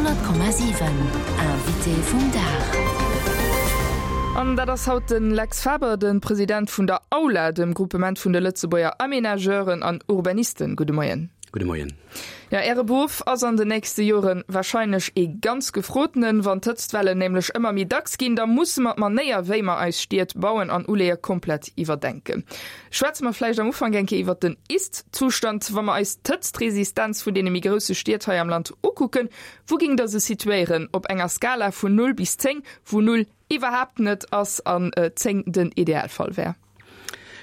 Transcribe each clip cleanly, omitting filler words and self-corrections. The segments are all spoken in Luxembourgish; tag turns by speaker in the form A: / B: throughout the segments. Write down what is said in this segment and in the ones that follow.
A: 100,7 Invité vum Dag.
B: An dat ass haut de Lex Faber, de President vun der AULA, dem Groupement vun de Lëtzebuerger Aménageuren an Urbanisten. Gudde Moien.
C: Gudde Moien.
B: Jo, Äre Beruff ass an den nächste Jore warscheinlech ee ganz gefrotenen. Wann d'Hëtztwellen nämlech ëmmer méi dacks ginn, da musse mer d'Manéier, wéi mer eis Stied bauen an uleeë, komplett iwwerdenken. Schwätze mer vläicht am Ufank eng Kéier iwwert den Ist-Zustand. Wa mer eis d'Hëtztresistenz vun deene méi grousse Stied hei am Land ukucken, wou géingt Der se situéieren op enger Skala vun 0 bis 10, wou 0 iwwerhaapt net ass an 10 den Idealfall wär?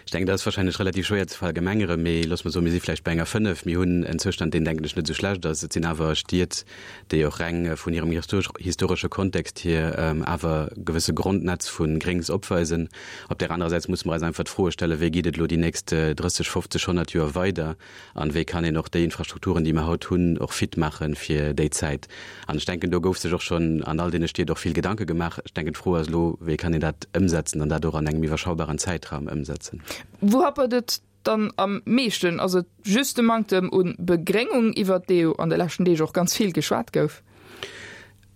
C: Ech denken, dat ass wahrscheinlech relativ schwéier ze verallgemengeren, mee loosse mer soen, mir si vläicht bei enger 5. Mir hunn en Zoustand, deen, denken ech, net esou schlecht ass. Et sinn awer Stied, déi och reng vun hirem historesche Kontext hier awer gewësse Grondnetz vu Gréngs opweisen. Op där anerer Säit musse mer eis einfach d'Froe stellen, Wéi geet et elo déi nächst 30, 50, 100 Joer weider? An wéi kann een och déi Infrastrukturen, déi mer haut hunn, och fit maache fir déi Zäit? An ech denken, do gouf sech och schonn an all deene Stied och vill Gedanke gemaach. Ech denken, d'Fro ass elo, Wéi kann een dat ëmsetzen an dat och an engem iwwerschaubaren Zäitraum ëmsetzen?
B: Wou happert et dann am meeschten? Ass et just de Manktem u Begréngung, iwwert dee jo an de leschten Deeg och ganz vill geschwat gouf?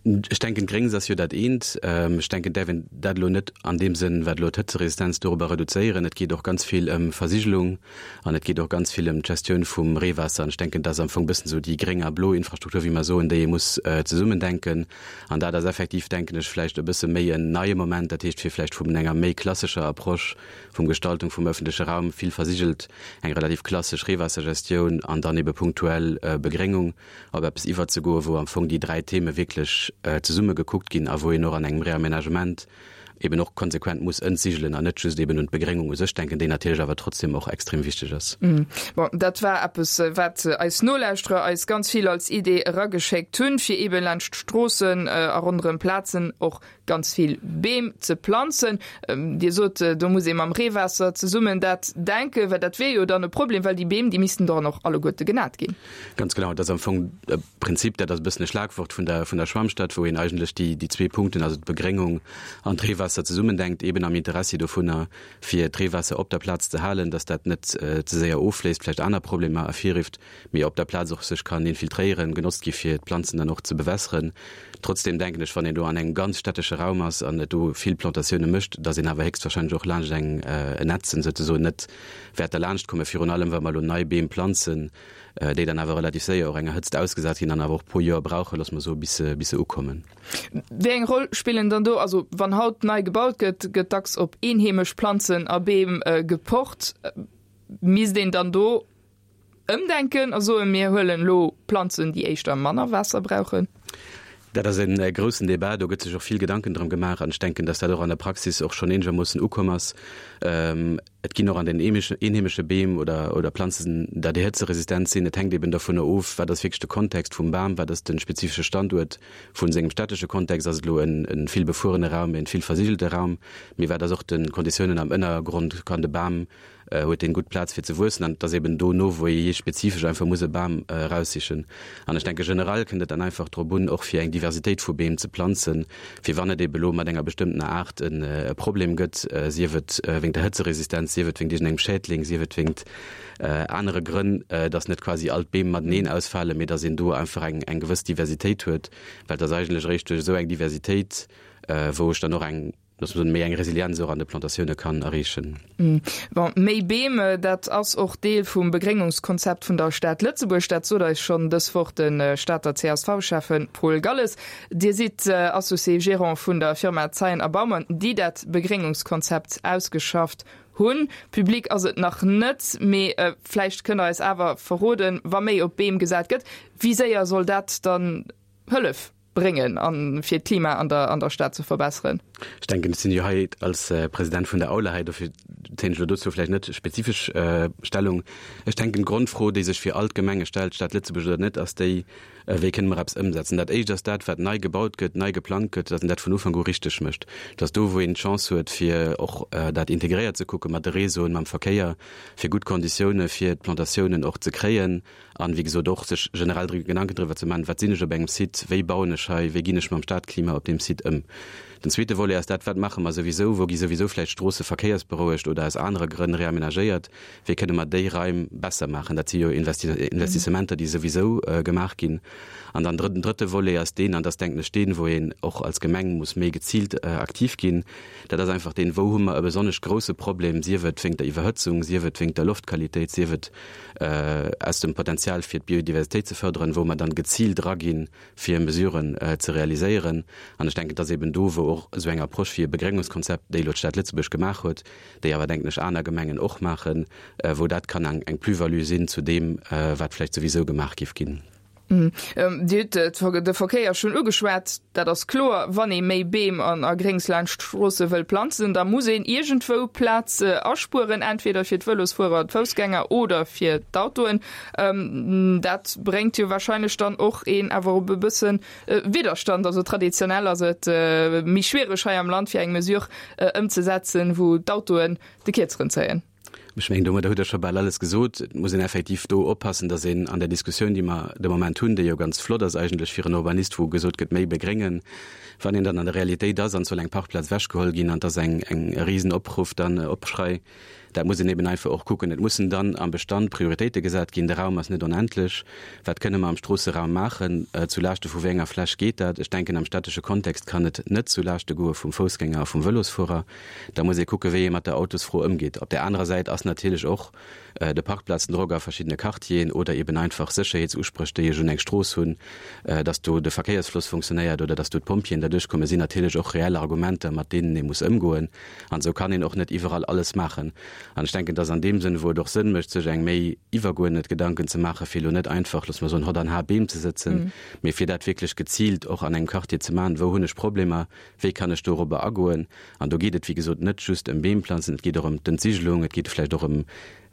C: Ech denken, d'Gréngs ass jo dat eent. Ech denken, et däerf een dat elo net an deem Sënn, wat elo d'Hëtzeresistenz dorobber reduzéieren. Et geet och ganz vill ëm Versigelung an et geet och ganz vill ëm d'Gestioun vum Reewaasser. An ech denken, dat ass am Fong e bëssen esou déi gréng a blo Infrastruktur, wéi mer soen, déi ee muss zesummendenken. An dat ass effektiv, denken ech, vläicht e bësse méi en neie Moment, dat heescht, fir vläicht vun enger méi klassescher Approche vum Gestaltung vum öffentleche Raum, vill versigelt, eng relativ klassesch Reewaassergestioun an dann ebe punktuell Begréngung, op eppes iwwerzegoen, wou am Fong déi dräi Theme wierklech zesumme gekuckt ginn a wou een och an engem Réaménagement eben och konsequent muss entsigelen an net just eben un d'Begréngung u sech denken, déi natierlech awer trotzdem och extrem wichteg ass.
B: Bon, dat war eppes, wat eis Nolauschterer eis ganz vill als Idee erageschéckt hunn, fir eben laanscht d'Stroossen a ronderëm Plazen och ganz vill Beem ze planzen. Dir sot, do muss ee mam Reewaasser zesummen dat denken, well dat wier jo dann e Problem, well déi Beem, déi missten dann och alleguerte genat ginn.
C: Ganz genau, dat ass am Fong e Prinzip, dat ass e bëssen e Schlagwort vun der, vun der Schwammstadt, wou een eigentlech déi, déi zwee Punkten, also d'Begréngung an d'Reewaasser zesummendenkt, eben am Interessi dovunner, fir d'Reewaasser op der Plaz ze halen, dass dat net ze séier offléisst, vläicht aner Problemer ervirrifft. mee op der Plaz och sech kann infiltréieren, genotzt gi fir d'Planzen dann och ze bewässeren. Trotzdem denken ech, wann een do an engem ganz städtesche Raum ass an et do vill Plantatioune mécht, datt een awer héchstwahrscheinlech och laanscht eng en Netzen souzesoen net wäert derlaanscht kommen, virun allem wa mer elo nei Beem planzen, déi dann awer relativ séier och enger Hëtzt ausgesat ginn an awer och e puer Joer brauchen, loosse mer soen, bis se bis se ukommen.
B: Wéi eng Roll spillen dann do, also wann haut nei gebaut gëtt, gëtt dacks op eenheemesch Planzen a Beem gepocht, misst een dann do Ëmdenken a soen, mir huelen elo Planzen, déi éischter manner Waasser brauchen?
C: Dat ass e groussen Débat, do gëtt sech och vill Gedanken drëm gemaach an ech denken, dass dat och an der Praxis och schonn eenegermoossen ukomm ass. Et ginn och an den eenheemesche Beem oder oder Planzen der déi hëtzeresistent sinn. Et hänkt eben dovunner of, wat ass wierklech de Kontext vum Bam, wat ass de spezifesche Standuert vun sengem städtesche Kontext, ass et elo e vill befuerene Raum, e vill versigelte Raum, mee wat ass och de Konditiounen am Ënnergrond, kann de Bam huet deen gutt Plaz fir ze wuessen an et ass eben do no wou ee jee spezifesch einfach muss e Bam eraussichen. An ech denke generell kënnt et dann einfach drop un och fir eng Diversitéit vu Beem ze planzen, fir wann et ebe lo mat enger bestëmmtener Aart e Problem gëtt, sief et wéingt der Hëtzeresistenz, sief et wéingt iergendengem Schädling, sief et wéingt anere Grënn, datt net quasi all d'Beem mateneen ausfalen, mee datt een do einfach eng eng gewëss Diversitéit huet, well et ass eigentlech eréischt duerch esou eng Diversitéit, wou ech dann och eng dass man méi eng Resilienz och an de Plantatioune kann erreechen.
B: Bon, méi Beem, dat ass och Deel vum Begréngungskonzept vun der Stad Lëtzebuerg. Dat sot eis schonn dës Woch de Stater CSV-Schäffe Paul Galles. Dir sidd Associé Gérant vun der Firma Zeien a Baumann, déi dat Begréngungskonzept ausgeschafft hunn. Public ass et nach net, mee vläicht kënnt Der eis awer verroden, wa méi op Beem gesat gëtt, wéi séier soll dat dann hëllef? Bréngen an fir d'Klima an der an der Stad ze verbesseren.
C: Ech denken, ech sinn jo hei als President vun der Aula hei, dofir zéien ech elo dozou vläicht net spezifesch Stellung. Ech denken, d'Grondfro, déi sech fir all d'Gemenge stellt, Stad Lëtzebuerg oder net, ass déi, Wéi kënne mer eppes ëmsetzen? Dat Éischt ass dat, wat nei gebaut gëtt, nei geplangt gëtt, datt een dat vun Ufank u richteg mécht. Datt do, wou een d'Chance huet, fir och dat integréiert ze kucke mat de Réseauen, mam Verkéier, fir gutt Konditioune fir d'Plantatiounen och ze kréien, An, wéi gesot, och sech generell Gedanken driwwer ze maachen, Wat sinn ech op engem Site, wéi bauen ech hei, wéi ginn ech mam Stadklima op deem Site ëm? Den zweete Volet ass dat, Wat maache mer souwisou? Wou gi souwisou vläicht Stroosse verkéiersberouegt oder aus anere Grënn reamenagéiert? Wéi kënne mer déi Raim besser maachen? Dat si jo Investissementer, déi souwisou gemaach ginn. An dann den drëtte Volet ass deen, an dat ass, denken ech, deen, wou een och als Gemeng muss méi geziilt aktiv ginn, dat ass einfach deen, Wou hu mer e besonnesch grouse Problem, sief et wéingt der Iwwerhëtzung, sief et wéingt der Loftqualitéit, sief et aus dem Potenzial fir d'Biodiversitéit ze förderen, wou mer dann geziilt eraginn, fir Mesuren ze realiséieren. An ech denken, et ass eben do, wou och esou eng Approche wéi e Begréngungskonzept, déi elo d'Stad Lëtzebuerg gemaach huet, déi awer, denken ech, aner Gemengen och maachen, wou dat kann eng Plus-value sinn zu deem, wat vläicht souwisou gemaach géif ginn.
B: Dir hutt de Verkéier schonn ugeschwat. Dat ass kloer, wann ee méi Beem an a Gréngs laanscht d'Stroosse wëll planzen, da muss een iergendwou Plaz aspueren, entweder fir d'Vëlosfuerer, d'Foussgänger oder fir d'Autoen. Dat bréngt jo wahrscheinlech dann och een awer op e bësse Widderstand. Also traditionell ass et méi schwiereg hei am Land fir eng Mesure ëmzesetzen, wou d'Autoen de Kierzeren zéien.
C: Ech mengen, domadder hutt Der scho bal alles gesot. Et muss een effektiv do oppassen, dass een an der Diskussioun, déi mer de Moment hunn, déi jo ganz flott ass eigentlech fir en Urbanist, wou gesot gëtt, méi begréngen, wann een dann an der Realitéit ass an et soll eng Parkplaz ewechgeholl ginn an et ass eng e Risenopruff dann, Opschrei, dat muss een eben einfach och kucken. Et mussen dann am Bestand Prioritéite gesat ginn. De Raum ass net onendlech. Wat kënne mer am Stroosseraum maachen? Zu Laaschte vu wéi enger Fläch geet dat? Ech denken, am städtesche Kontext kann et net zu Laaschte goe vum Foussgänger a vum Vëlosfuerer. Da muss ee kucke wéi ee mat der Autosfro ëmgeet. Op där anerer Säit ass natierlech och de Parkplazendrock a verschiddene Quartieren oder eben einfach Sécherheetsuspréch, déi ech un eng Strooss hunn, datt do de Verkéiersfloss funktionéiert oder datt do d'Pompjeeën derduerch kommen, sinn natierlech och reell Argumenter, mat deenen ee muss ëmgoen. An esou kann een och net iwwerall alles maachen. An ech denken, datt an deem Sënn, wou et och Sënn mécht, sech eng méi iwwerguerdnet Gedanken ze maachen, fir elo net einfach, loosse mer soen, hott an har Beem ze sëtzen, mee fir dat wierklech geziilt och an engem Quartier ze maachen, wou hunn ech Problemer, Wéi kann ech dorobber agoen? An do geet et, wéi gesot, net just ëm Beemplanzen, et geet och ëm d'Entsigelung, et geet vläicht och ëm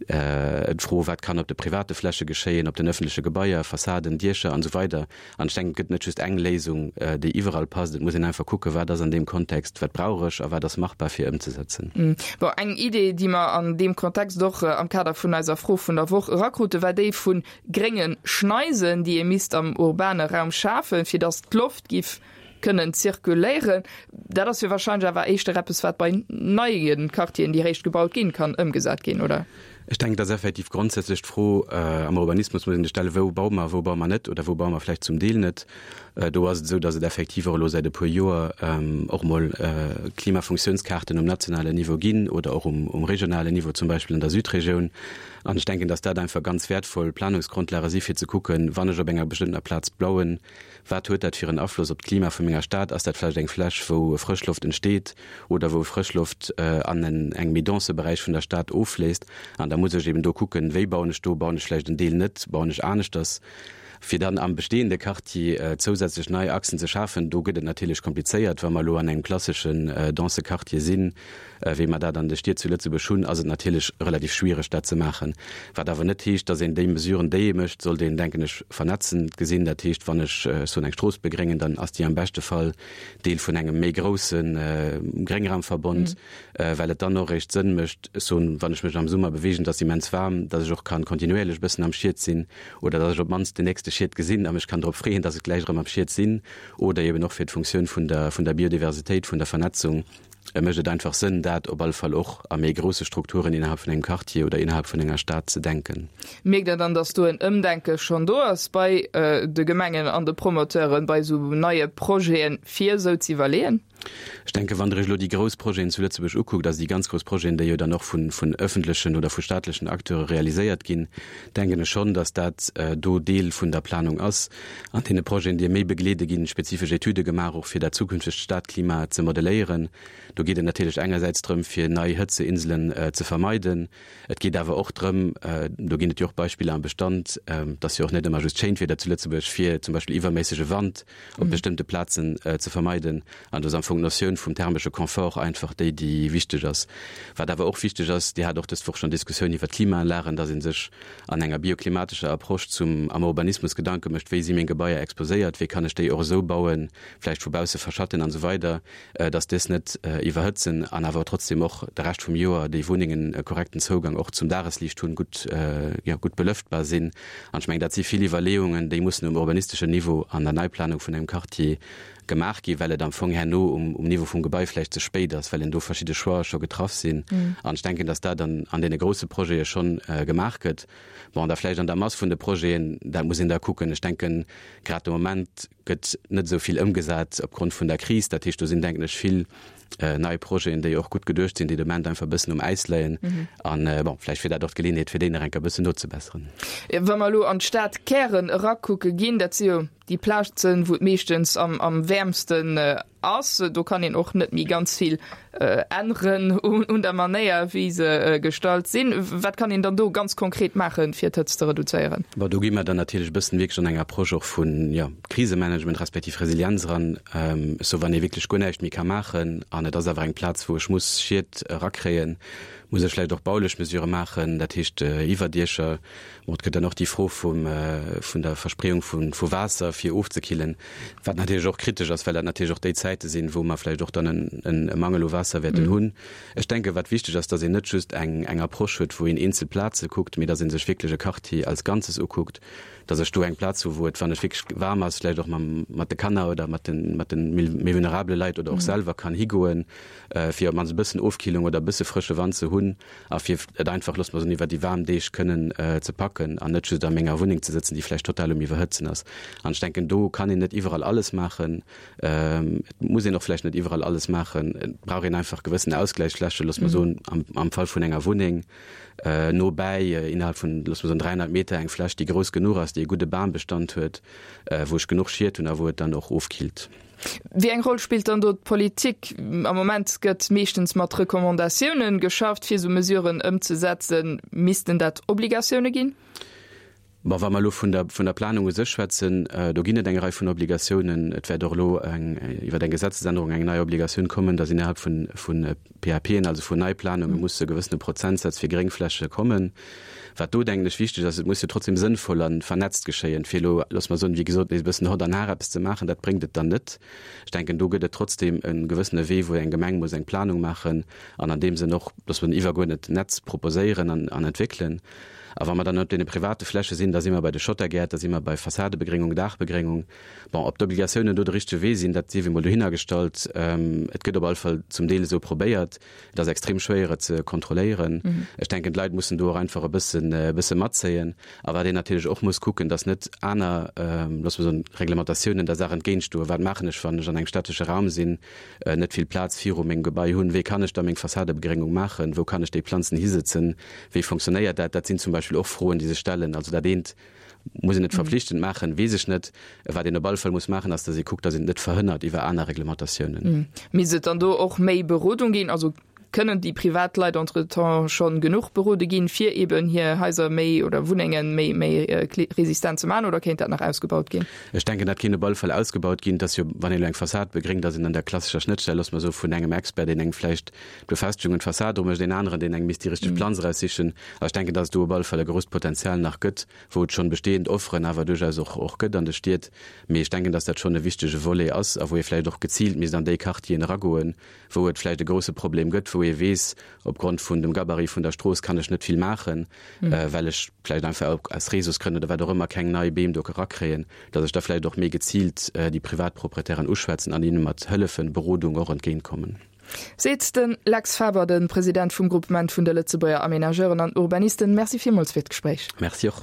C: d'Fro, wat kann op de private Fläche geschéien, op den öffentleche Gebaier, Fassaden, Diecher an esou weider. An ech denken, et gëtt net just eng Léisung, déi iwwerall passt. Et muss een einfach kucken, wat ass an deem Kontext, wat brauch ech a wat ass machbar fir ëmzesetzen.
B: Bon, eng Idee, déi mer an deem Kontext och am Kader vun eiser Fro vun der Woch erakrute, war déi vu grénge Schneisen, déi ee misst am urbane Raum schafen, fir datt d'Loft giff kënnen zirkuléieren. Dat ass jo wahrscheinlech awer éischter eppes, wat bei neie Quartieren, déi eréischt gebaut ginn, kann ëmgesat ginn, oder?
C: Ech denken, et ass effektiv grondsätzlech d'Fro, am Urbanismus muss een sech stellen, Wou baue mer, wou baue mer net oder wou baue mer vläicht zum Deel net? Do ass et esou, datt et effektiv och elo säit e puer Joer och emol Klimafunktionskaarten um nationalen Niveau ginn oder och um regionalen Niveau, zum Beispill an der Südregioun. An ech denken, datt dat einfach ganz wäertvoll Planungsgrondlage si fir ze kucken, wann ech op enger bestëmmtener Plaz blauen, Wat huet dat fir en Afloss op d'Klima vu menger Stad? Ass dat vläicht eng Fläch, wou Frëschloft entsteet oder wou Frëschloft an en engem méi dense Beräich vun der Stad offléisst? An da muss ech eben do kucken, wéi bauen ech do? Bauen ech vläicht en Deel net? Bauen ech aneschters? Fir dann am bestehende Quartier zousätzlech nei Achsen ze schafen, do gëtt et natierlech komplizéiert. Wa mer elo an engem klasseschen dense Quartier sinn, Wéi mer dat an de Stied zu Lëtzebuerg hunn, ass et natierlech relativ schwiereg, dat ze maachen. Wat awer net heescht, dass een déi Mesuren, déi ee mécht, sollt een, denken ech, vernetzend gesinn. Dat heescht, wann ech, ech soen, eng Strooss begréngen, dann ass déi am beschte Fall Deel vun engem méi grousse Gréngraumverbond, well et dann och eréischt Sënn mécht, ech soen, wann ech mech am Summer beweegen, et ass immens waarm, dass ech och kann kontinuéierlech e bëssen am Schiet sinn oder dass ech op d'mannst den nächste Schiet gesinn a mech kann drop freeën, dass ech gläich erëm am Schiet sinn. Oder eben och fir d'Funktioun vun der, vun der Biodiversitéit, vun der Vernetzung. Et mécht et einfach Sënn, dat op alle Fall och a méi grousse Strukturen innerhalb vun engem Quartier oder innerhalb vun enger Stad ze denken.
B: Mierkt Der dann, datt do en Ëmdenke schonn do ass bei de Gemengen an de Promoteuren, bei esou neie Projeten, fir esou ze iwwerleeën?
C: Ech denken, wann Der Iech elo déi grouss Projeten zu Lëtzebuerg ukuckt, also déi ganz grouss Projeten, déi jo dann och vun öffentlechen oder vu staatlechen Acteure realiséiert ginn, denken ech schonn, datt dat do Deel vun der Planung ass. An deene Projeten, déi méi begleede ginn, spezifesch Etüde gemaach, och fir dat zukünftegt Stadklima ze modelléieren. Do geet et natierlech engersäits drëm, fir nei Hëtzeinselen ze vermeiden. Et geet awer och drëm, do ginn et jo och Beispiller am Bestand, et ass jo och net ëmmer just schéint Wieder zu Lëtzebuerg, fir zum Beispill iwwerméissege Wand op bestëmmte Plazen ze vermeiden. An do ass am Fong d'Notioun vum thermesche Confort einfach déi, déi wichteg ass. Wat awer och wichteg ass, Dir hat och dës Woch schonn Diskussioun iwwert d'Klimaanlagen, dass ee sech an enger bioklimatescher Approche zum am Urbanismus Gedanke mécht, wéi si meng Gebaier exposéiert, wéi kann ech déi och esou bauen, vläicht vu bausse verschatten an esou weider, dass dës net iwwerhëtzen an awer trotzdem och de Rescht vum Joer déi Wunnengen e korrekten Zougang och zum Dagesliicht hunn, gutt, jo, gutt belëftbar sinn. An ech mengen, dat si vill Iwwerleeungen, déi mussen um urbanisteschen Niveau an der Neiplanung vun engem Quartier. gemaach ginn, well et am Fong herno um Niveau vum Gebai vläicht ze spéit ass, well en do verschidde Choixë scho getraff sinn. An ech denken, dass dat an an deene grouse Projete schonn gemaach gëtt. Bon, da vläicht an der Mass vun de Projeten, dat muss een da kucken. Ech denken, grad de Moment gëtt net esou vill ëmgesat opgrond vun der Kris. Dat heescht, do sinn, denken ech, vill nei Projeten, déi och gutt geduecht sinn, déi de Moment einfach e bëssen um Äis leien. An, bon, vläicht wier dat och d'Geleeënheet, fir déi nach eng Kéier e bëssen nozebesseren.
B: Wa mer elo an d'Stadkären erakucke ginn, dat si jo déi Plazen, wou et meeschtens am, am wäermsten ass, do kann een och net méi ganz vill änneren un der Manéier, wéi se gestallt sinn. Wat kann een dann do ganz konkret maachen, fir d'Hëtzt ze reduzéieren?
C: Bon, do gi mer dann natierlech e bëssen wierklech an eng Approche och vun, jo, Krisemanagement respektiv Resilienz eran. Ech soe, wann ee wierklech guer näischt méi ka maachen an et ass awer eng Plaz, wou ech muss Schied erakréien, muss ech vläicht och baulech Mesurë maachen, dat heescht Iwwerdiecher. Bon, et gëtt dann och déi Fro vum, vun der Verspreeung vu, vu Waasser fir ofzekillen, wat natierlech och kritesch ass, well dat natierlech och déi Zäite sinn, wou mer vläicht och dann en, en e Mangel u Waasser wäerten hunn. Ech denken, wat wichteg ass, dass een net just eng, eng Approche huet, wou een eenzel Plaze kuckt, mee dass ee sech wierklech e Quartier als Ganzes ukuckt, dass ech do eng Plaz hu wou et, wann et wierklech waarm ass, vläicht och mam, mat de Kanner oder mat den, mat den méi vulnerabele Leit oder och selwer kann higoen, fir op d'mannst e bëssen Ofkillung oder e bësse frësche Wand ze hunn a fir et einfach, loosse mer soen, iwwer déi waarm Deeg kënnen ze packen an net just a menger Wunneng ze sëtzen, déi vläicht total um Iwwerhëtzen ass. An ech denken, do kann een net iwwerall alles maachen. Et muss een och vläicht net iwwerall alles maachen. Et brauch een einfach gewëssen Ausgläichsflächen, loosse mer soen, am, am Fall vun enger Wunneng, no bäi, innerhalb vun, loosse mer soen, 300 Meter eng Fläch, déi grouss genuch ass, déi e gudde Bambestand huet, wou ech genuch Schied hunn a wou et dann och ofkillt.
B: Wéi eng Roll spillt dann do d'Politik? Am Moment gëtt meeschtens mat Recommandatiounen geschafft, fir esou Mesuren ëmzesetzen. Missten dat Obligatioune ginn?
C: Bon, wa mer elo vun der, vun der Planung u sech schwätzen, do ginn et eng Rei vun Obligatiounen. Et wäert och elo eng, iwwer eng Gesetzesännerung eng nei Obligatioun kommen, dass innerhalb vun, vun PAPen, also vun Neiplanunge muss e gewëssene Prozentsaz fir Gréngfläche kommen. Wat do, denken ech, wichteg ass, et muss jo trotzdem sënnvoll a vernetzt geschéien. Fir elo, loosse mer soen, wéi gesot, nees e bëssen hott an har eppes ze maachen, dat bréngt et dann net. Ech denken, do gëtt et trotzdem e gewëssene Wee, wou eng Gemeng muss eng Planung maachen an an deem Sënn och, loosse mer soen, iwwergeuerdnet Netz proposéieren an entwéckelen. A wa mer dann op deene private Fläche sinn, da si mer bei de Schottergäert, da si mer bei Fassadebegréngung, Daachbegréngung. Bon, ob d'Obligatiounen do de richtege Wee sinn, dat sief emol dohinnergestallt. Et gëtt op alle Fall zum Deel esou probéiert. Et ass extrem schwéier, et ze kontrolléieren. Ech denken, d'Leit mussen do och einfach e bëssen, e bësse matzéien. A wat een natierlech och muss kucken, dass net aner, loosse mer soen, Reglementatiounen der Saach entgéintstoen. Wat maachen ech, wann ech an engem städtesche Raum sinn, net vill Plaz viru mengem Gebai hunn? Wéi kann ech da meng Fassadebegrëngung maachen? Wou kann ech déi Planzen hisëtzen? Wéi fonctionnéiert dat? Dat sinn zum Beispill och Froen, déi sech stellen. Also dat eent muss een net verpflichtend maachen, weess ech net. Wat een op alle Fall muss maachen, ass, datt ee kuckt, datt een et net verhënnert iwwer aner Reglementatiounen.
B: Misst et dann do och méi Berodung ginn? Also kënnen déi privat Leit entretemps schonn genuch berode ginn, fir eeben hir Haiser méi oder Wunnenge méi méi resistent ze maachen, oder kéint dat nach ausgebaut ginn?
C: Ech denken, dat kéint op alle Fall ausgebaut ginn. Et ass jo, wann een elo eng Fassad begréngt, ass een an der klassescher Schnëttstell, loosse mer soen, vun engem Expert, deen engem vläicht d'Befestigung un d'Fassad dru mécht, een aneren, deen engem misst déi richteg Planz eraussichen. A ech denken, dass et do op alle Fall e grousst Potenzial nach gëtt, wou et schonn bestehend Offeren awer duerchaus och och gëtt an de Stied. Mee ech denken, dass dat schonn e wichtege Volet ass a wou ee vläicht och geziilt misst an déi Quartieren eragoen, wou et vläicht e grouse Problem gëtt, wou ee weess, opgrond vun dem Gabarit vun der Strooss kann ech net vill maachen, well ech vläicht einfach aus Réseausgrënn oder wat och ëmmer keng nei Beem do erakréien, dass ech da vläicht och méi geziilt déi Privatproprietären uschwätzen an hinne mat Hëllefen, Berodung och entgéintkommen.
B: Seet de Lex Faber, de President vum Groupement vun de Lëtzebuerger Aménageuren an Urbanisten. Merci villmools fir d'Gespréich.
C: Merci och.